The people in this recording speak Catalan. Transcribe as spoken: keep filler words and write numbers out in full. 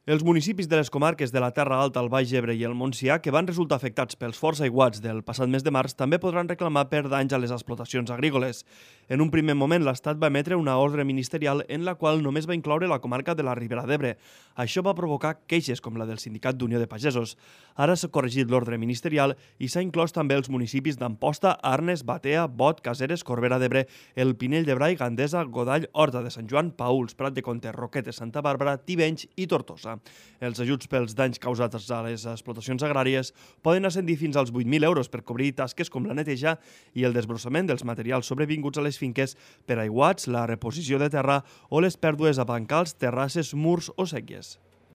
Els municipis de les comarques de la Terra Alta, el Baix Ebre i el Montsià, que van resultar afectats pels forts aiguats del passat mes de març, també podran reclamar per danys a les explotacions agrícoles. En un primer moment, l'Estat va emetre una ordre ministerial en la qual només va incloure la comarca de la Ribera d'Ebre. Això va provocar queixes com la del Sindicat d'Unió de Pagesos. Ara s'ha corregit l'ordre ministerial i s'ha inclòs també els municipis d'Amposta, Arnes, Batea, Bot, Caseres, Corbera d'Ebre, el Pinell de Brai, Gandesa, Godall, Horta de Sant Joan, Paüls, Prat de Comte, Roquetes, Santa Bàrbara, Tivenys i Tortosa. Els ajuts pels danys causats a les explotacions agràries poden ascendir fins als vuit mil euros per cobrir tasques com la neteja i el desbrossament dels materials sobrevinguts a les finques per aiguats, la reposició de terra o les pèrdues a bancals, terrasses, murs o sèquies.